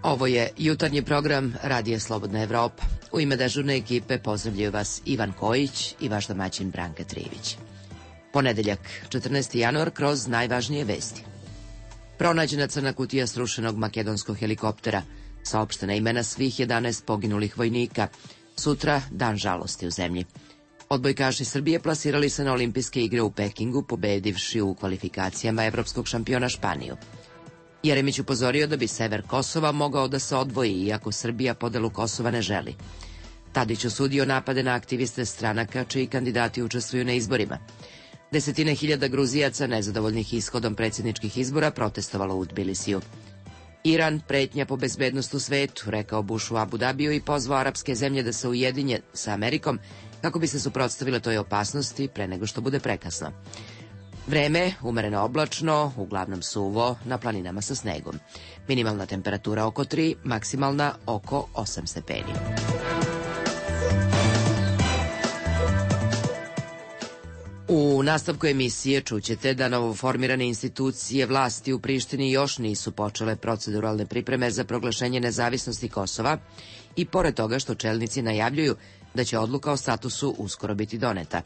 Ovo je jutarnji program Radija Slobodna Evropa. U ime dežurne ekipe pozdravljaju vas Ivan Kojić i vaš domaćin Branka Trivić. Ponedeljak, 14. januar, kroz najvažnije vesti. Pronađena crna kutija srušenog makedonskog helikoptera. Saopštena imena svih 11 poginulih vojnika. Sutra dan žalosti u zemlji. Odbojkaši Srbije plasirali se na olimpijske igre u Pekingu, pobedivši u kvalifikacijama evropskog šampiona Španiju. Jeremić upozorio da bi sever Kosova mogao da se odvoji, iako Srbija podelu Kosova ne želi. Tadić osudio napade na aktiviste stranaka čiji kandidati učestvuju na izborima. Desetine hiljada Gruzijaca nezadovoljnih ishodom predsjedničkih izbora protestovalo u Tbilisiju. Iran pretnja po bezbednost u svetu, rekao Bush u Abu Dabiju i pozvao arapske zemlje da se ujedinje sa Amerikom kako bi se suprotstavile toj opasnosti pre nego što bude prekasno. Vreme, umereno oblačno, uglavnom suvo, na planinama sa snegom. Minimalna temperatura oko 3, maksimalna oko 8 stepeni. U nastavku emisije čućete da novoformirane institucije vlasti u Prištini još nisu počele proceduralne pripreme za proglašenje nezavisnosti Kosova i pored toga što čelnici najavljuju da će odluka o statusu uskoro biti doneta.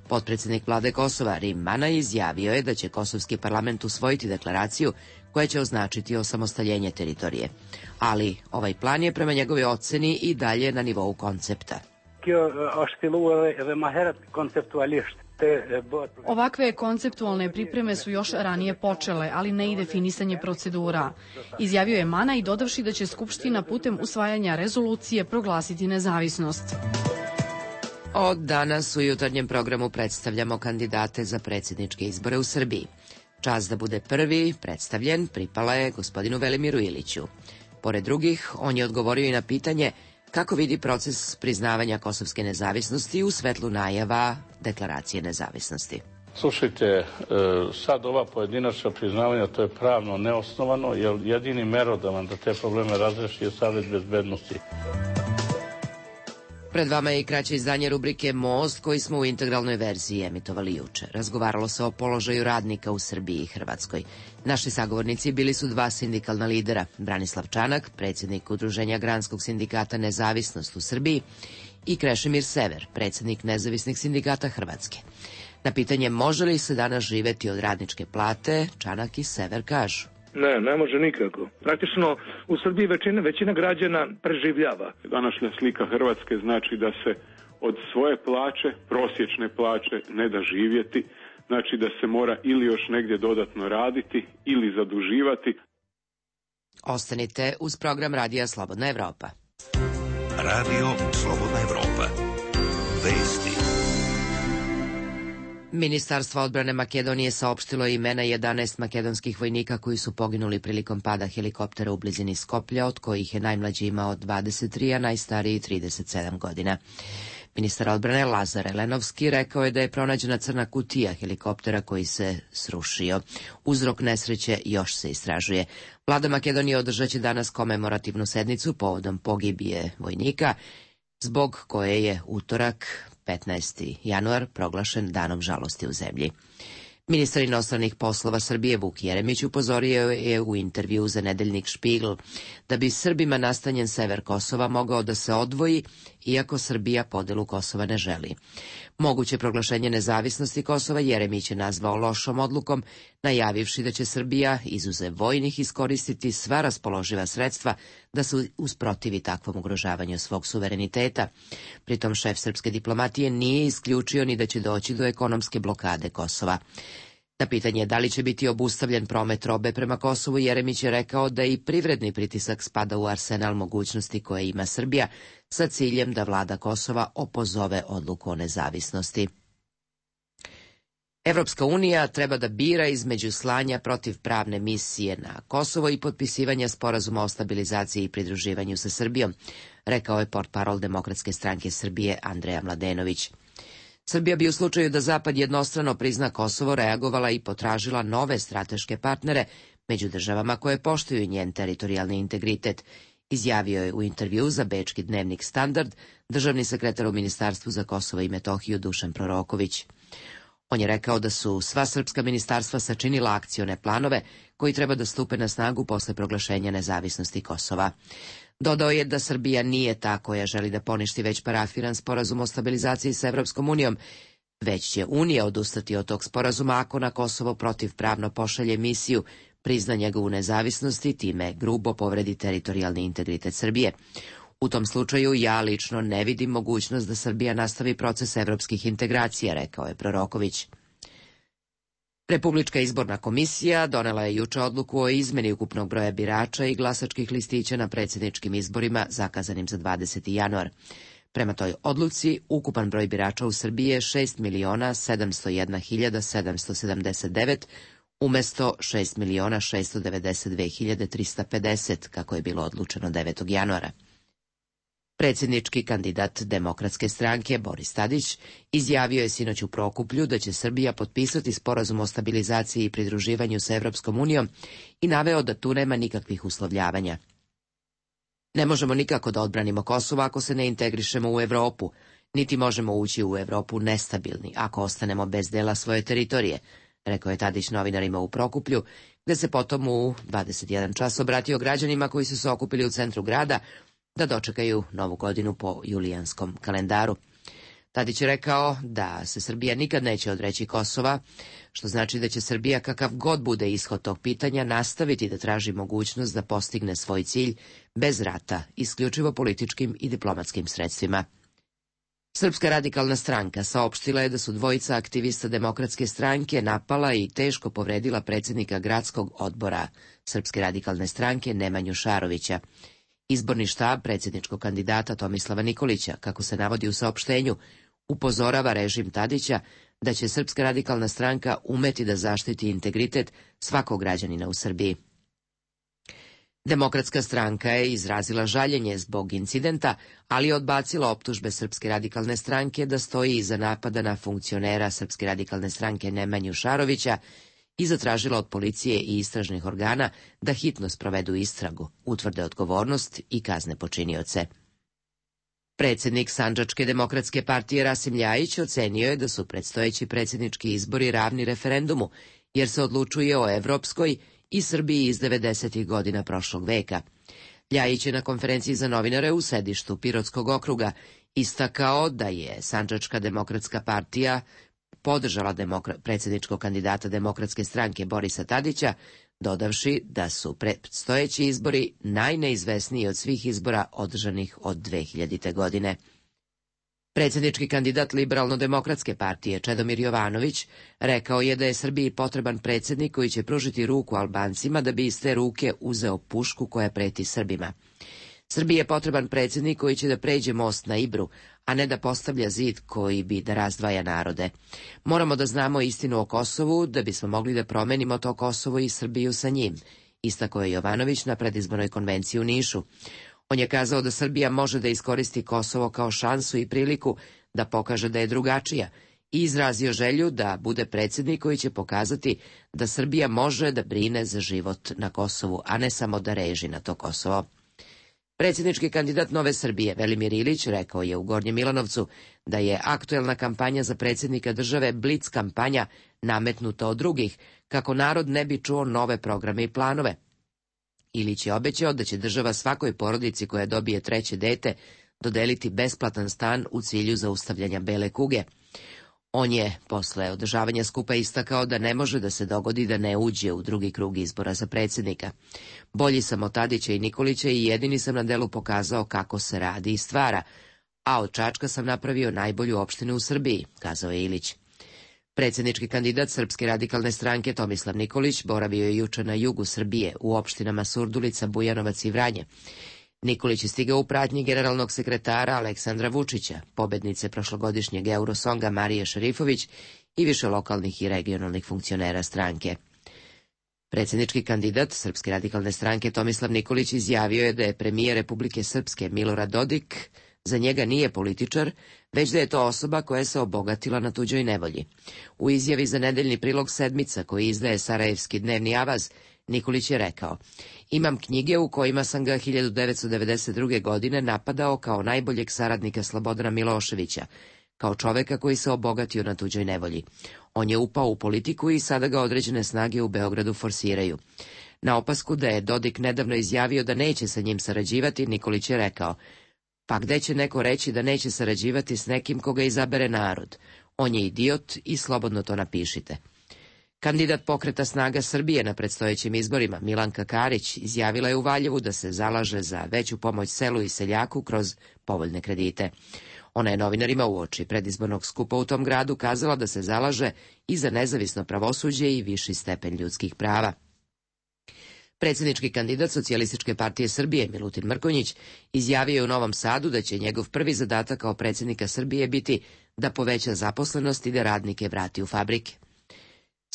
Potpredsednik vlade Kosova Rim Manaj izjavio je da će kosovski parlament usvojiti deklaraciju koja će označiti osamostaljenje teritorije. Ali ovaj plan je prema njegovoj oceni i dalje na nivou koncepta. Ovakve konceptualne pripreme su još ranije počele, ali ne i definisanje procedura. Izjavio je Mana i dodavši da će Skupština putem usvajanja rezolucije proglasiti nezavisnost. Od danas u jutarnjem programu predstavljamo kandidate za predsjedničke izbore u Srbiji. Čast da bude prvi predstavljen pripala je gospodinu Velimiru Iliću. Pored drugih, on je odgovorio i na pitanje kako vidi proces priznavanja kosovske nezavisnosti u svetlu najava deklaracije nezavisnosti. Slušajte, sad ova pojedinačna priznavanja, to je pravno neosnovano, jer jedini merodavan da te probleme razreši je Savet bezbednosti. Pred vama je i kraće izdanje rubrike Most, koji smo u integralnoj verziji emitovali juče. Razgovaralo se o položaju radnika u Srbiji i Hrvatskoj. Naši sagovornici bili su dva sindikalna lidera, Branislav Čanak, predsjednik Udruženja Granskog sindikata Nezavisnost u Srbiji, i Krešimir Sever, predsjednik Nezavisnih sindikata Hrvatske. Na pitanje može li se danas živeti od radničke plate, Čanak i Sever kažu: Ne može nikako. Praktično u Srbiji većina građana preživljava. Današnja slika Hrvatske znači da se od svoje plaće, prosječne plaće, ne da živjeti, znači da se mora ili još negdje dodatno raditi ili zaduživati. Ostanite uz program Radija Slobodna Evropa. Radio Slobodna Evropa. Vesti. Ministarstvo odbrane Makedonije saopštilo imena 11 makedonskih vojnika koji su poginuli prilikom pada helikoptera u blizini Skoplja, od kojih je najmlađi imao 23, a najstariji 37 godina. Ministar odbrane Lazar Elenovski rekao je da je pronađena crna kutija helikoptera koji se srušio. Uzrok nesreće još se istražuje. Vlada Makedonije održaće danas komemorativnu sednicu povodom pogibije vojnika, zbog koje je utorak 15. januar proglašen danom žalosti u zemlji. Ministar inostranih poslova Srbije Vuk Jeremić upozorio je u intervju za nedeljnik Špigl da bi Srbima nastanjen sever Kosova mogao da se odvoji, iako Srbija podelu Kosova ne želi. Moguće proglašenje nezavisnosti Kosova Jeremić je nazvao lošom odlukom, najavivši da će Srbija, izuzev vojnih, iskoristiti sva raspoloživa sredstva da se usprotivi takvom ugrožavanju svog suvereniteta. Pritom šef srpske diplomatije nije isključio ni da će doći do ekonomske blokade Kosova. Na pitanje da li će biti obustavljen promet robe prema Kosovu, Jeremić je rekao da i privredni pritisak spada u arsenal mogućnosti koje ima Srbija sa ciljem da vlada Kosova opozove odluku o nezavisnosti. Evropska unija treba da bira između slanja protivpravne misije na Kosovo i potpisivanja sporazuma o stabilizaciji i pridruživanju sa Srbijom, rekao je portparol Demokratske stranke Srbije Andreja Mladenović. Srbija bi u slučaju da Zapad jednostrano prizna Kosovo reagovala i potražila nove strateške partnere među državama koje poštuju njen teritorijalni integritet, izjavio je u intervju za bečki dnevnik Standard državni sekretar u Ministarstvu za Kosovo i Metohiju Dušan Proroković. On je rekao da su sva srpska ministarstva sačinila akcione planove koji treba da stupe na snagu posle proglašenja nezavisnosti Kosova. Dodao je da Srbija nije ta koja želi da poništi već parafiran sporazum o stabilizaciji sa Evropskom unijom, već će Unija odustati od tog sporazuma ako na Kosovo protivpravno pošalje misiju, prizna njegovu nezavisnost i time grubo povredi teritorijalni integritet Srbije. U tom slučaju ja lično ne vidim mogućnost da Srbija nastavi proces evropskih integracija, rekao je Proroković. Republička izborna komisija donela je juče odluku o izmeni ukupnog broja birača i glasačkih listića na predsjedničkim izborima zakazanim za 20. januar. Prema toj odluci, ukupan broj birača u Srbiji je 6.701.779 umesto 6.692.350, kako je bilo odlučeno 9. januara. Predsjednički kandidat Demokratske stranke Boris Tadić izjavio je sinoć u Prokuplju da će Srbija potpisati sporazum o stabilizaciji i pridruživanju sa Evropskom unijom i naveo da tu nema nikakvih uslovljavanja. Ne možemo nikako da odbranimo Kosovo ako se ne integrišemo u Evropu, niti možemo ući u Evropu nestabilni ako ostanemo bez dela svoje teritorije, rekao je Tadić novinarima u Prokuplju, gde se potom u 21 čas obratio građanima koji su se okupili u centru grada da dočekaju Novu godinu po julijanskom kalendaru. Tadić je rekao da se Srbija nikad neće odreći Kosova, što znači da će Srbija, kakav god bude ishod tog pitanja, nastaviti da traži mogućnost da postigne svoj cilj bez rata, isključivo političkim i diplomatskim sredstvima. Srpska radikalna stranka saopštila je da su dvojica aktivista Demokratske stranke napala i teško povredila predsjednika gradskog odbora Srpske radikalne stranke Nemanju Šarovića. Izborni štab predsjedničkog kandidata Tomislava Nikolića, kako se navodi u saopštenju, upozorava režim Tadića da će Srpska radikalna stranka umeti da zaštiti integritet svakog građanina u Srbiji. Demokratska stranka je izrazila žaljenje zbog incidenta, ali je odbacila optužbe Srpske radikalne stranke da stoji iza napada na funkcionera Srpske radikalne stranke Nemanju Šarovića i zatražila od policije i istražnih organa da hitno sprovedu istragu, utvrde odgovornost i kazne počinioce. Predsjednik Sandžačke demokratske partije Rasim Ljajić ocenio je da su predstojeći predsjednički izbori ravni referendumu, jer se odlučuje o evropskoj i Srbiji iz 90. godina prošlog veka. Ljajić je na konferenciji za novinare u sedištu Pirotskog okruga istakao da je Sandžačka demokratska partija podržala predsjedničkog kandidata Demokratske stranke Borisa Tadića, dodavši da su predstojeći izbori najneizvesniji od svih izbora održanih od 2000. godine. Predsjednički kandidat Liberalno-demokratske partije Čedomir Jovanović rekao je da je Srbiji potreban predsjednik koji će pružiti ruku Albancima da bi iz te ruke uzeo pušku koja preti Srbima. Srbiji je potreban predsjednik koji će da pređe most na Ibru, a ne da postavlja zid koji bi da razdvaja narode. Moramo da znamo istinu o Kosovu da bismo mogli da promenimo to Kosovo i Srbiju sa njim, istakao je Jovanović na predizbornoj konvenciji u Nišu. On je kazao da Srbija može da iskoristi Kosovo kao šansu i priliku da pokaže da je drugačija i izrazio želju da bude predsjednik koji će pokazati da Srbija može da brine za život na Kosovu, a ne samo da reži na to Kosovo. Predsjednički kandidat Nove Srbije Velimir Ilić rekao je u Gornjem Milanovcu da je aktuelna kampanja za predsjednika države blic kampanja nametnuta od drugih, kako narod ne bi čuo nove programe i planove. Ilić je obećao da će država svakoj porodici koja dobije treće dete dodeliti besplatan stan u cilju zaustavljanja bele kuge. On je posle održavanja skupa istakao da ne može da se dogodi da ne uđe u drugi krug izbora za predsjednika. Bolji sam od Tadića i Nikolića i jedini sam na delu pokazao kako se radi i stvara, a od Čačka sam napravio najbolju opštinu u Srbiji, kazao je Ilić. Predsjednički kandidat Srpske radikalne stranke Tomislav Nikolić boravio je juče na jugu Srbije u opštinama Surdulica, Bujanovac i Vranje. Nikolić je stigao u pratnji generalnog sekretara Aleksandra Vučića, pobednice prošlogodišnjeg Eurosonga Marije Šerifović i više lokalnih i regionalnih funkcionera stranke. Predsjednički kandidat Srpske radikalne stranke Tomislav Nikolić izjavio je da je premijer Republike Srpske Milorad Dodik za njega nije političar, već da je to osoba koja se obogatila na tuđoj nevolji. U izjavi za nedeljni prilog Sedmica koji izdaje Sarajevski dnevni avaz, Nikolić je rekao: imam knjige u kojima sam ga 1992. godine napadao kao najboljeg saradnika Slobodana Miloševića, kao čoveka koji se obogatio na tuđoj nevolji. On je upao u politiku i sada ga određene snage u Beogradu forsiraju. Na opasku da je Dodik nedavno izjavio da neće sa njim sarađivati, Nikolić je rekao: pa gde će neko reći da neće sarađivati s nekim koga izabere narod? On je idiot i slobodno to napišite. Kandidat Pokreta snaga Srbije na predstojećim izborima, Milanka Karić, izjavila je u Valjevu da se zalaže za veću pomoć selu i seljaku kroz povoljne kredite. Ona je novinarima uoči predizbornog skupa u tom gradu kazala da se zalaže i za nezavisno pravosuđe i viši stepen ljudskih prava. Predsjednički kandidat Socijalističke partije Srbije, Milutin Mrkonjić, izjavio je u Novom Sadu da će njegov prvi zadatak kao predsjednika Srbije biti da poveća zaposlenost i da radnike vrati u fabrike.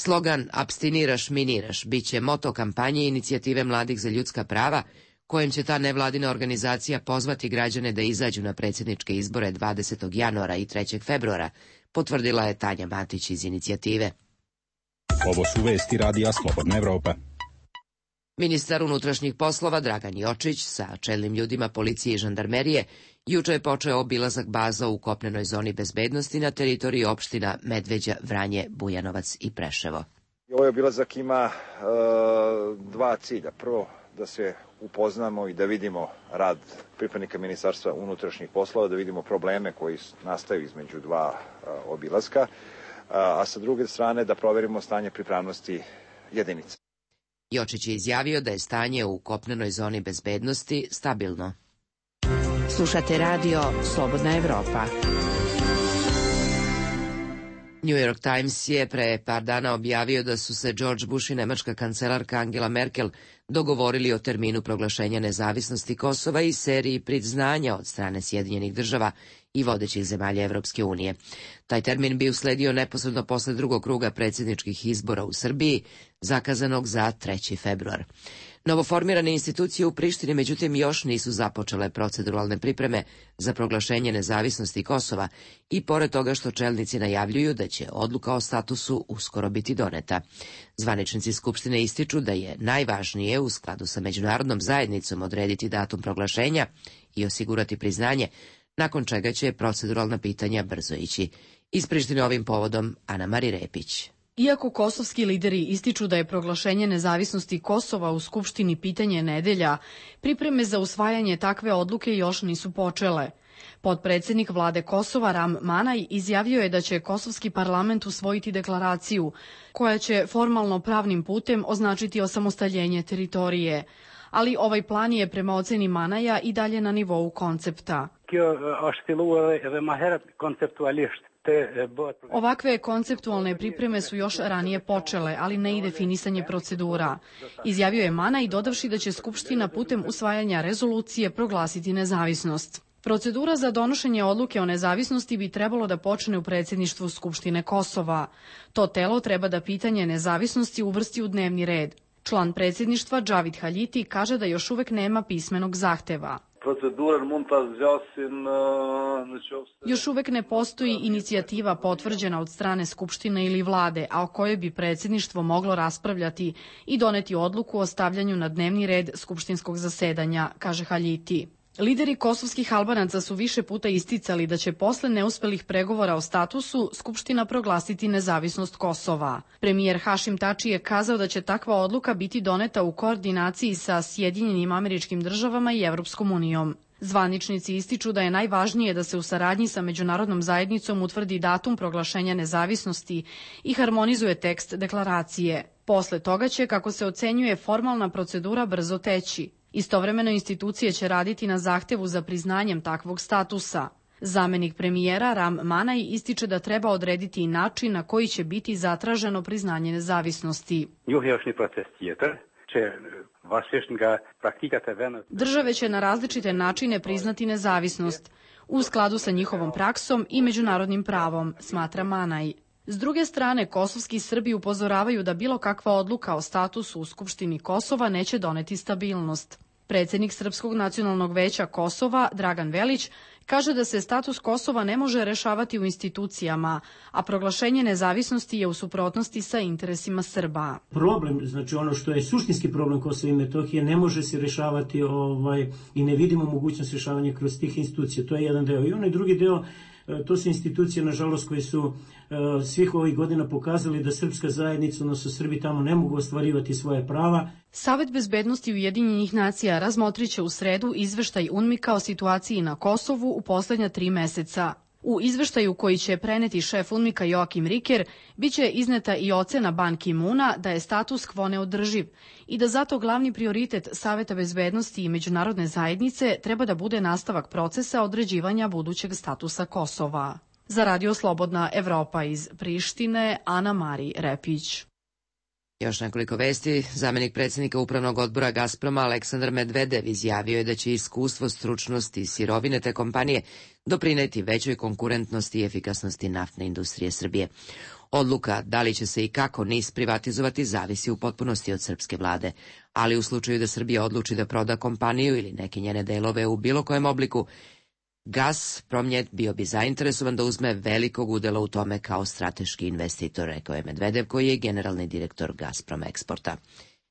Slogan "Apstiniraš, miniraš" biće moto kampanje inicijative Mladih za ljudska prava, kojem će ta nevladina organizacija pozvati građane da izađu na predsjedničke izbore 20. januara i 3. februara, potvrdila je Tanja Matić iz inicijative. Ovo su vesti Radija Slobodna Evropa. Ministar unutrašnjih poslova Dragan Jočić sa čelnim ljudima policije i žandarmerije juče je počeo obilazak baza u kopnenoj zoni bezbednosti na teritoriji opština Medveđa, Vranje, Bujanovac i Preševo. Ovaj obilazak ima dva cilja. Prvo, da se upoznamo i da vidimo rad pripadnika Ministarstva unutrašnjih poslova, da vidimo probleme koji nastaju između dva obilaska, a sa druge strane da proverimo stanje pripravnosti jedinica. Jočić je izjavio da je stanje u kopnenoj zoni bezbednosti stabilno. Slušate radio Slobodna Evropa. New York Times je pre par dana objavio da su se George Bush i nemačka kancelarka Angela Merkel dogovorili o terminu proglašenja nezavisnosti Kosova i seriji priznanja od strane Sjedinjenih država i vodećih zemalja Evropske unije. Taj termin bi usledio neposredno posle drugog kruga predsjedničkih izbora u Srbiji, zakazanog za 3. februar. Novoformirane institucije u Prištini, međutim, još nisu započele proceduralne pripreme za proglašenje nezavisnosti Kosova i pored toga što čelnici najavljuju da će odluka o statusu uskoro biti doneta. Zvaničnici Skupštine ističu da je najvažnije u skladu sa međunarodnom zajednicom odrediti datum proglašenja i osigurati priznanje, nakon čega će proceduralna pitanja brzo ići. Iz Prištine ovim povodom Ana Mari Repić. Iako kosovski lideri ističu da je proglašenje nezavisnosti Kosova u Skupštini pitanje nedelja, pripreme za usvajanje takve odluke još nisu počele. Potpredsednik vlade Kosova Ram Manaj izjavio je da će kosovski parlament usvojiti deklaraciju koja će formalno pravnim putem označiti osamostaljenje teritorije. Ali ovaj plan je prema oceni Manaja i dalje na nivou koncepta. Ovakve konceptualne pripreme su još ranije počele, ali ne i definisanje procedura. Izjavio je Manaj, dodavši da će Skupština putem usvajanja rezolucije proglasiti nezavisnost. Procedura za donošenje odluke o nezavisnosti bi trebalo da počne u predsjedništvu Skupštine Kosova. To telo treba da pitanje nezavisnosti uvrsti u dnevni red. Član predsjedništva Džavid Haljiti kaže da još uvek nema pismenog zahteva. Još uvek ne postoji inicijativa potvrđena od strane Skupštine ili vlade, a o kojoj bi predsjedništvo moglo raspravljati i doneti odluku o stavljanju na dnevni red skupštinskog zasedanja, kaže Haljiti. Lideri kosovskih Albanaca su više puta isticali da će posle neuspelih pregovora o statusu Skupština proglasiti nezavisnost Kosova. Premijer Hašim Tači je kazao da će takva odluka biti doneta u koordinaciji sa Sjedinjenim Američkim Državama i Evropskom unijom. Zvaničnici ističu da je najvažnije da se u saradnji sa međunarodnom zajednicom utvrdi datum proglašenja nezavisnosti i harmonizuje tekst deklaracije. Posle toga će, kako se ocenjuje, formalna procedura brzo teći. Istovremeno institucije će raditi na zahtevu za priznanjem takvog statusa. Zamenik premijera Ram Manaj ističe da treba odrediti i način na koji će biti zatraženo priznanje nezavisnosti. Države će na različite načine priznati nezavisnost, u skladu sa njihovom praksom i međunarodnim pravom, smatra Manaj. S druge strane, kosovski Srbi upozoravaju da bilo kakva odluka o statusu u Skupštini Kosova neće doneti stabilnost. Predsjednik Srpskog nacionalnog veća Kosova, Dragan Velić, kaže da se status Kosova ne može rešavati u institucijama, a proglašenje nezavisnosti je u suprotnosti sa interesima Srba. Problem, znači ono što je suštinski problem Kosova i Metohije, ne može se rešavati i ne vidimo mogućnost rešavanja kroz tih institucija. To je jedan deo. I onaj drugi deo, To su institucije, nažalost, koje su svih ovih godina pokazali da srpska zajednica, odnosno Srbi tamo ne mogu ostvarivati svoje prava. Savet bezbednosti Ujedinjenih nacija razmotriće u sredu izveštaj UNMIK-a o situaciji na Kosovu u poslednja 3 meseca. U izveštaju koji će preneti šef UNMIK-a Joakim Riker biće izneta i ocena Ban Ki-muna da je status quo neodrživ i da zato glavni prioritet Saveta bezbednosti i međunarodne zajednice treba da bude nastavak procesa određivanja budućeg statusa Kosova. Za Radio Slobodna Evropa iz Prištine, Ana Mari Repić. Još nekoliko vesti. Zamenik predsjednika Upravnog odbora Gazproma Aleksandar Medvedev izjavio je da će iskustvo, stručnost i sirovine te kompanije doprineti većoj konkurentnosti i efikasnosti naftne industrije Srbije. Odluka da li će se i kako NIS privatizovati zavisi u potpunosti od srpske vlade, ali u slučaju da Srbija odluči da proda kompaniju ili neke njene delove u bilo kojem obliku, Gazprom bio bi zainteresovan da uzme velikog udela u tome kao strateški investitor, rekao je Medvedev, koji je generalni direktor Gazprom Eksporta.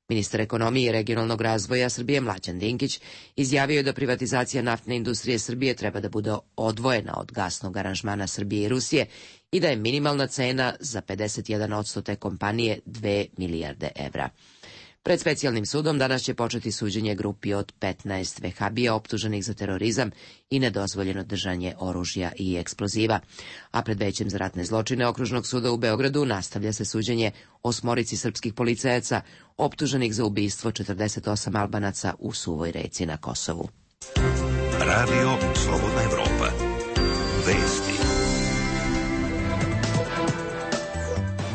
Ministar ekonomije i regionalnog razvoja Srbije Mlađan Dinkić izjavio je da privatizacija naftne industrije Srbije treba da bude odvojena od gasnog aranžmana Srbije i Rusije i da je minimalna cena za 51% te kompanije 2 milijarde evra. Pred specijalnim sudom danas će početi suđenje grupi od 15 vehabija optuženih za terorizam i nedozvoljeno držanje oružja i eksploziva. A pred većem za ratne zločine Okružnog suda u Beogradu nastavlja se suđenje 8 srpskih policajaca optuženih za ubistvo 48 Albanaca u Suvoj Reci na Kosovu. Radio Slobodna Evropa. Vesti.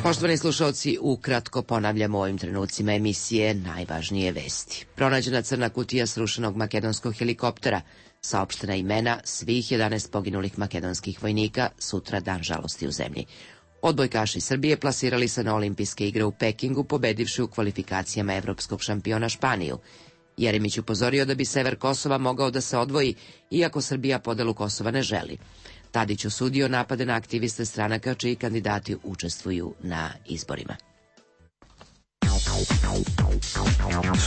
Poštovani slušalci, ukratko ponavljamo u ovim trenucima emisije najvažnije vesti. Pronađena crna kutija srušenog makedonskog helikoptera, saopštena imena svih 11 poginulih makedonskih vojnika, sutra dan žalosti u zemlji. Odbojkaši Srbije plasirali se na olimpijske igre u Pekingu, pobedivši u kvalifikacijama evropskog šampiona Španiju. Jeremić upozorio da bi sever Kosova mogao da se odvoji, iako Srbija podelu Kosova ne želi. Tadić osudio napade na aktiviste stranaka čiji kandidati učestvuju na izborima.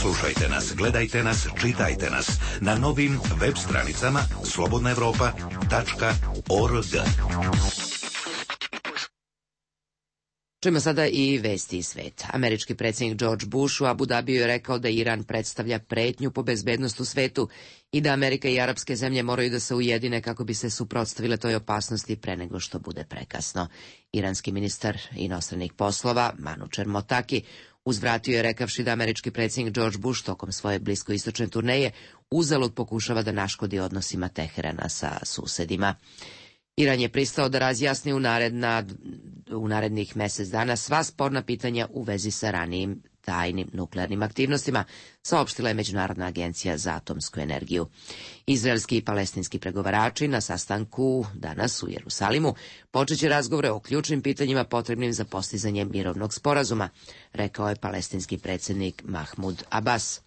Slušajte nas, gledajte nas, čitajte nas na novim web stranicama slobodnaevropa.org. Čujemo sada i vesti iz sveta. Američki predsjednik George Bush u Abu Dhabiju je rekao da Iran predstavlja pretnju po bezbednost u svetu i da Amerika i arapske zemlje moraju da se ujedine kako bi se suprotstavile toj opasnosti pre nego što bude prekasno. Iranski ministar inostranih poslova Manučer Motaki uzvratio je rekavši da američki predsjednik George Bush tokom svoje bliskoistočne turneje uzalud pokušava da naškodi odnosima Teherana sa susedima. Iran je pristao da razjasni u narednih mesec dana sva sporna pitanja u vezi sa ranijim tajnim nuklearnim aktivnostima, saopštila je Međunarodna agencija za atomsku energiju. Izraelski i palestinski pregovarači na sastanku danas u Jerusalimu počeće razgovore o ključnim pitanjima potrebnim za postizanje mirovnog sporazuma, rekao je palestinski predsjednik Mahmud Abbas.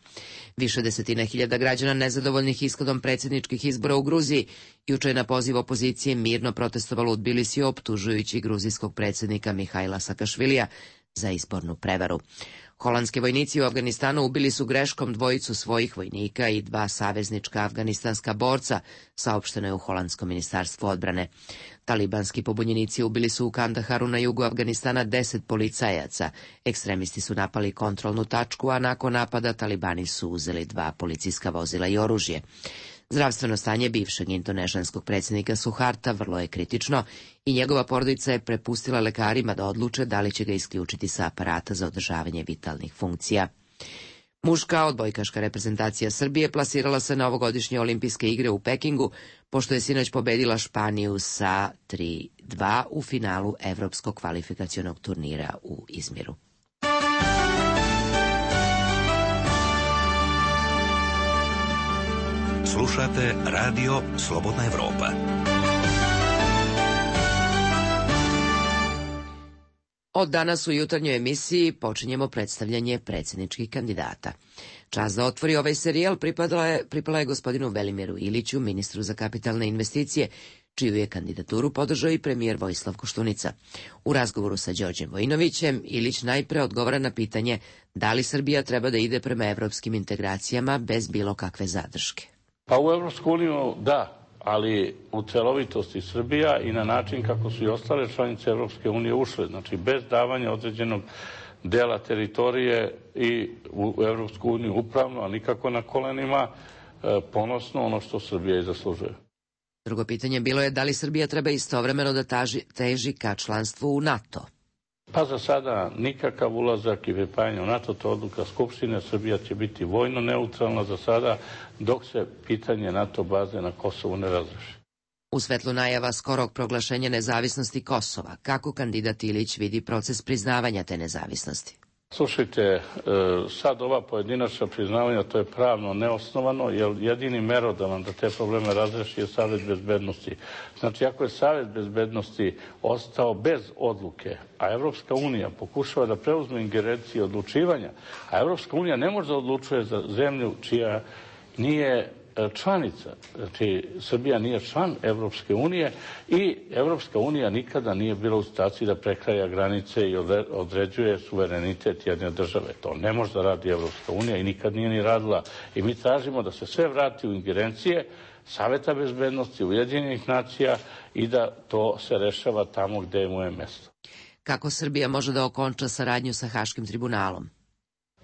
Više desetina hiljada građana nezadovoljnih ishodom predsjedničkih izbora u Gruziji juče je na poziv opozicije mirno protestovalo u Tbilisiju, optužujući gruzijskog predsjednika Mihajla Sakašvilija za izbornu prevaru. Holandski vojnici u Afganistanu ubili su greškom 2 svojih vojnika i 2 saveznička afganistanska borca, saopšteno je u Holandskom ministarstvu odbrane. Talibanski pobunjenici ubili su u Kandaharu na jugu Afganistana 10 policajaca. Ekstremisti su napali kontrolnu tačku, a nakon napada talibani su uzeli 2 policijska vozila i oružje. Zdravstveno stanje bivšeg indonežanskog predsjednika Suharta vrlo je kritično i njegova porodica je prepustila lekarima da odluče da li će ga isključiti sa aparata za održavanje vitalnih funkcija. Muška odbojkaška reprezentacija Srbije plasirala se na ovogodišnje olimpijske igre u Pekingu, pošto je sinoć pobedila Španiju sa 3-2 u finalu evropskog kvalifikacionog turnira u Izmiru. Slušate Radio Slobodna Evropa. Od danas u jutarnjoj emisiji počinjemo predstavljanje predsjedničkih kandidata. Čast da otvori ovaj serijal pripala je gospodinu Velimiru Iliću, ministru za kapitalne investicije, čiju je kandidaturu podržao i premijer Vojislav Koštunica. U razgovoru sa Đorđem Vojinovićem, Ilić najpre odgovara na pitanje da li Srbija treba da ide prema evropskim integracijama bez bilo kakve zadrške. Pa u Evropsku uniju da, ali u celovitosti Srbija i na način kako su i ostale članice Evropske unije ušle, znači bez davanja određenog dela teritorije i u Evropsku uniju upravno, a nikako na kolenima, ponosno ono što Srbija i zaslužuje. Drugo pitanje bilo je da li Srbija treba istovremeno da teži ka članstvu u NATO? Pa za sada nikakav ulazak i pripajanje u NATO, to odluka Skupštine. Srbija će biti vojno neutralna za sada, dok se pitanje NATO baze na Kosovu ne razreši. U svetlu najava skorog proglašenja nezavisnosti Kosova, kako kandidat Ilić vidi proces priznavanja te nezavisnosti? Slušajte, sad ova pojedinačna priznavanja, to je pravno neosnovano, jer jedini merodavan da te probleme razreši je Savet bezbednosti. Znači, ako je Savet bezbednosti ostao bez odluke, a Evropska unija pokušava da preuzme ingerencije odlučivanja, a Evropska unija ne može da odlučuje za zemlju čija nije članica, znači Srbija nije član Evropske unije i Evropska unija nikada nije bila u situaciji da prekraja granice i određuje suverenitet jedne države. To ne može da radi Evropska unija i nikad nije ni radila. I mi tražimo da se sve vrati u ingerencije Saveta bezbednosti, Ujedinjenih nacija i da to se rešava tamo gde mu je mesto. Kako Srbija može da okonča saradnju sa Haškim tribunalom?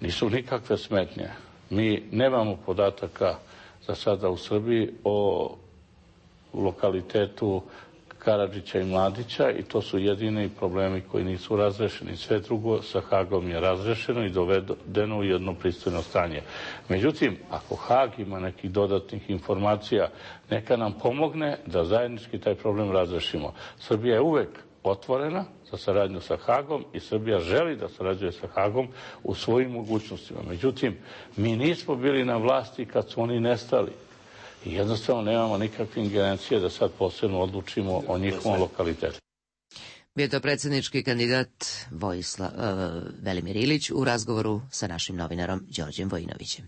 Nisu nikakve smetnje. Mi nemamo podataka za sada u Srbiji o lokalitetu Karadžića i Mladića i to su jedini problemi koji nisu razrešeni. Sve drugo sa Hagom je razrešeno i dovedeno u jedno pristojno stanje. Međutim, ako Hag ima nekih dodatnih informacija, neka nam pomogne da zajednički taj problem razrešimo. Srbija je uvek otvorena za saradnju sa Hagom i Srbija želi da sarađuje sa Hagom u svojim mogućnostima. Međutim, mi nismo bili na vlasti kad su oni nestali i jednostavno nemamo nikakve ingerencije da sad posebno odlučimo o njihovom lokalitetu. Bio to predsjednički kandidat Velimir Ilić u razgovoru sa našim novinarom Đorđem Vojinovićem.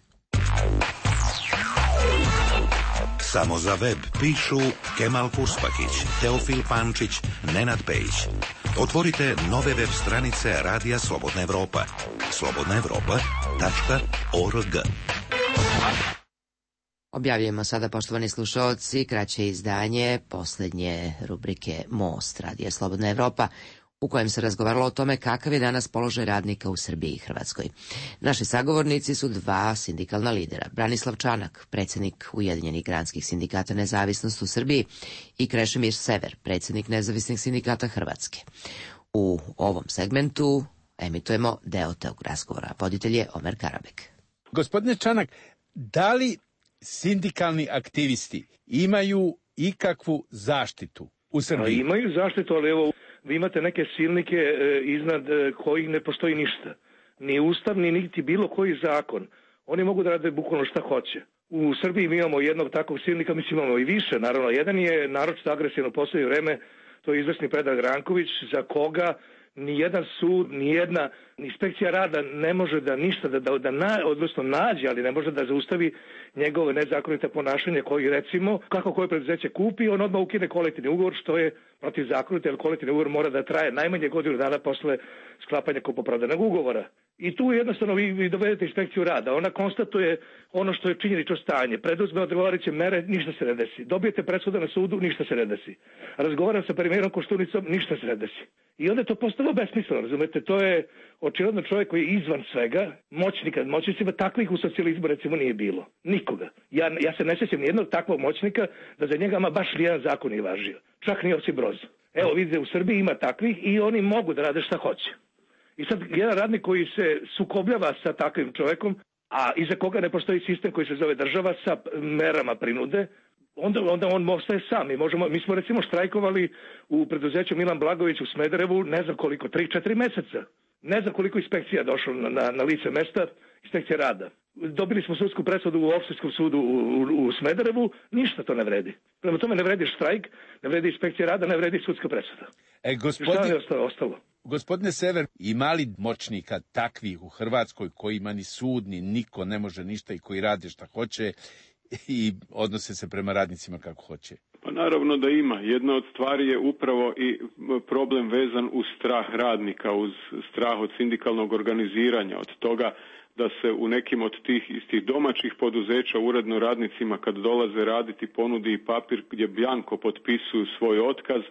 Samo za web pišu Kemal Kuspakić, Teofil Pančić, Nenad Pejić. Otvorite nove web stranice Radija Slobodna Evropa. slobodnaevropa.org. Objavljujemo sada, poštovani slušaoci, kraće izdanje posljednje rubrike Most Radija Slobodna Evropa, u kojem se razgovaralo o tome kakav je danas položaj radnika u Srbiji i Hrvatskoj. Naši sagovornici su dva sindikalna lidera, Branislav Čanak, predsjednik Ujedinjenih granskih sindikata Nezavisnost u Srbiji, i Krešimir Sever, predsjednik Nezavisnih sindikata Hrvatske. U ovom segmentu emitujemo deo tog razgovora. Voditelj je Omer Karabek. Gospodine Čanak, da li sindikalni aktivisti imaju ikakvu zaštitu u Srbiji? Imaju zaštitu, ali evo, vi imate neke silnike iznad kojih ne postoji ništa. Ni ustav, ni niti bilo koji zakon. Oni mogu da rade bukvalno šta hoće. U Srbiji mi imamo jednog takvog silnika, mislim imamo i više, naravno. Jedan je naročito agresivno u poslednje vreme, to je izvrsni Predrag Ranković, za koga nijedan sud, nijedna inspekcija rada ne može da ništa, odnosno nađe, ali ne može da zaustavi njegove nezakonite ponašanje koji, recimo, kako koje preduzeće kupi, on odmah ukine kolektivni ugovor, što je protivzakonito, jer kolektivni ugovor mora da traje najmanje godinu dana posle sklapanja kupoprodajnog ugovora. I tu jednostavno vi dovedete inspekciju rada. Ona konstatuje ono što je činjenično stanje. Preduzme odgovarajuće mere, ništa se ne desi. Dobijete presudu na sudu, ništa se ne desi. Razgovaram sa premijerom Koštunicom, ništa se ne desi. I onda je to postalo besmisleno, razumete? To je očigledno čovjek koji je izvan svega, moćnicima, takvih u socijalizmu recimo nije bilo. Nikoga. Ja se ne sjećam nijednog takvog moćnika da za njega ama baš nijedan zakon nije važio. Čak ni Josip Broz. Evo vidite, u Srbiji ima takvih i oni mogu da rade šta hoće. I sad jedan radnik koji se sukobljava sa takvim čovjekom, a iza koga ne postoji sistem koji se zove država sa merama prinude, onda on ostaje sam. Mi smo recimo štrajkovali u preduzeću Milan Blagović u Smederevu, ne znam koliko, 3-4 meseca. Ne znam koliko inspekcija došlo na lice mesta, inspekcija rada. Dobili smo sudsku presudu u opštinskom sudu u Smederevu, ništa to ne vredi. Prema tome ne vredi štrajk, ne vredi inspekcija rada, ne vredi sudska presuda. Šta je ostalo? Gospodine Sever, ima li moćnika takvih u Hrvatskoj kojima ni sud, ni niko ne može ništa i koji rade šta hoće i odnose se prema radnicima kako hoće? Pa naravno da ima. Jedna od stvari je upravo i problem vezan uz strah radnika, uz strah od sindikalnog organiziranja, od toga da se u nekim od tih istih domaćih poduzeća uredno radnicima kad dolaze raditi ponudi i papir gdje bjanko potpisuju svoj otkaz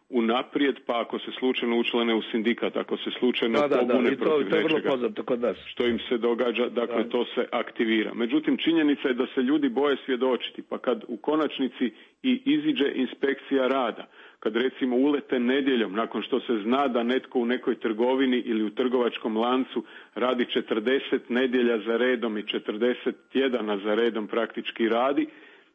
unaprijed, pa ako se slučajno učlane u sindikat, ako se slučajno pobune protiv nečega, što im se događa, dakle to se aktivira. Međutim, činjenica je da se ljudi boje svjedočiti, pa kad u konačnici i iziđe inspekcija rada, kad recimo ulete nedjeljom, nakon što se zna da netko u nekoj trgovini ili u trgovačkom lancu radi 40 nedjelja za redom i 40 tjedana za redom praktički radi,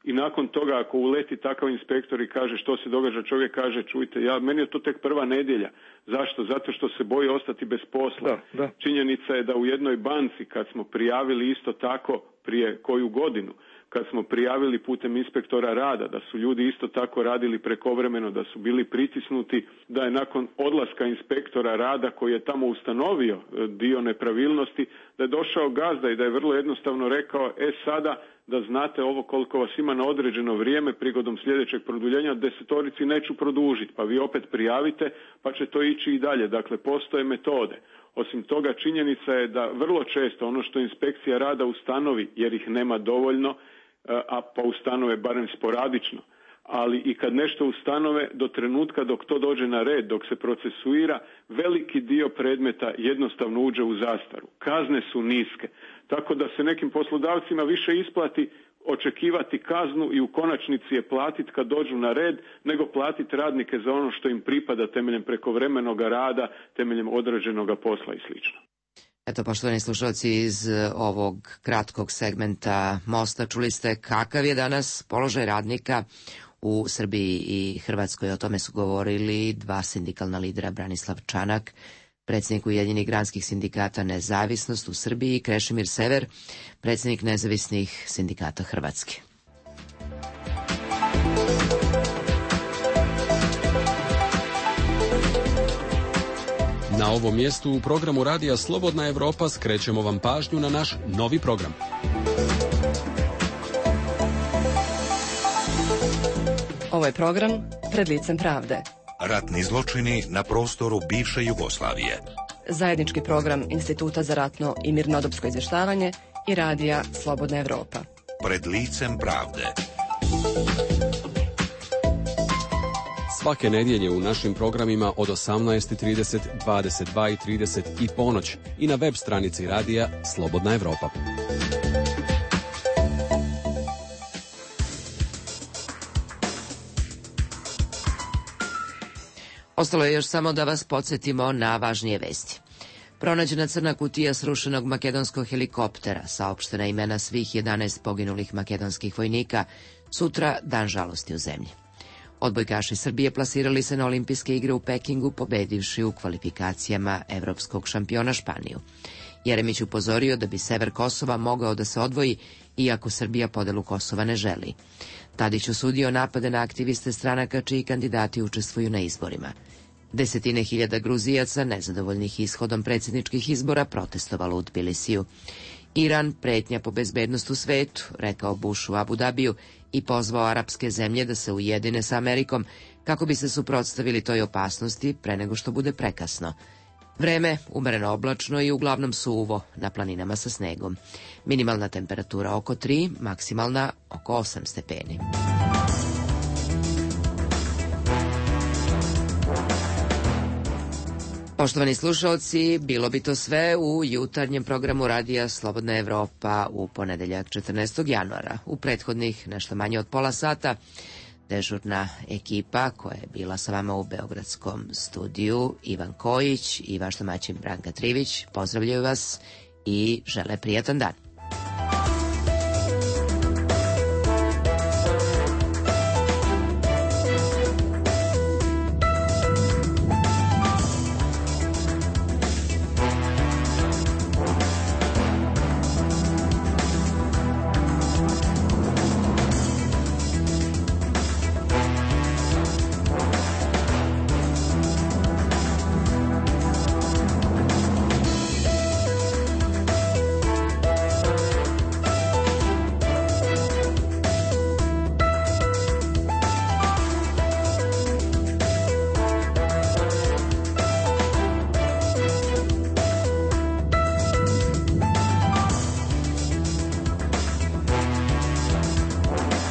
i nakon toga ako uleti takav inspektor i kaže što se događa, čovjek kaže čujte, meni je to tek prva nedjelja. Zašto? Zato što se boji ostati bez posla. Da. Činjenica je da u jednoj banci kad smo prijavili isto tako prije koju godinu, kad smo prijavili putem inspektora rada da su ljudi isto tako radili prekovremeno, da su bili pritisnuti, da je nakon odlaska inspektora rada koji je tamo ustanovio dio nepravilnosti, da je došao gazda i da je vrlo jednostavno rekao sada da znate ovo koliko vas ima na određeno vrijeme, prigodom sljedećeg produljenja 10 neću produžiti, pa vi opet prijavite pa će to ići i dalje. Dakle, postoje metode. Osim toga, činjenica je da vrlo često ono što inspekcija rada ustanovi, jer ih nema dovoljno, a pa ustanove barem sporadično, ali i kad nešto ustanove do trenutka dok to dođe na red, dok se procesuira, veliki dio predmeta jednostavno uđe u zastaru. Kazne su niske, tako da se nekim poslodavcima više isplati očekivati kaznu i u konačnici je platiti kad dođu na red, nego platiti radnike za ono što im pripada temeljem prekovremenoga rada, temeljem određenoga posla i slično. Eto, poštovani slušalci, iz ovog kratkog segmenta Mosta čuli ste kakav je danas položaj radnika u Srbiji i Hrvatskoj. O tome su govorili dva sindikalna lidera, Branislav Čanak, predsjednik Ujedinjenih granskih sindikata Nezavisnost u Srbiji, i Krešimir Sever, predsjednik Nezavisnih sindikata Hrvatske. Na ovom mjestu u programu Radija Slobodna Evropa skrećemo vam pažnju na naš novi program. Ovo je program Pred licem pravde. Ratni zločini na prostoru bivše Jugoslavije. Zajednički program Instituta za ratno i mirnodopsko izvještavanje i Radija Slobodna Evropa. Pred licem pravde. Svake nedjelje u našim programima od 18:30, 22:30 i ponoć i na web stranici Radija Slobodna Evropa. Ostalo je još samo da vas podsjetimo na važnije vesti. Pronađena crna kutija srušenog makedonskog helikoptera, saopštena imena svih 11 poginulih makedonskih vojnika, sutra dan žalosti u zemlji. Odbojkaši Srbije plasirali se na olimpijske igre u Pekingu, pobedivši u kvalifikacijama evropskog šampiona Španiju. Jeremić upozorio da bi sever Kosova mogao da se odvoji, iako Srbija podelu Kosova ne želi. Tadić osudio napade na aktiviste stranaka čiji kandidati učestvuju na izborima. Desetine hiljada Gruzijaca, nezadovoljnih ishodom predsjedničkih izbora, protestovalo u Tbilisiju. Iran, pretnja po bezbednost u svetu, rekao Bush u Abu Dabiju i pozvao arapske zemlje da se ujedine sa Amerikom kako bi se suprotstavili toj opasnosti pre nego što bude prekasno. Vreme umereno oblačno i uglavnom suvo, na planinama sa snegom. Minimalna temperatura oko 3, maksimalna oko 8 stepeni. Poštovani slušalci, bilo bi to sve u jutarnjem programu Radija Slobodna Evropa u ponedeljak 14. januara. U prethodnih nešto manje od pola sata dežurna ekipa koja je bila sa vama u beogradskom studiju, Ivan Kojić i vaš domaćin Branka Trivić, pozdravljaju vas i žele prijatan dan.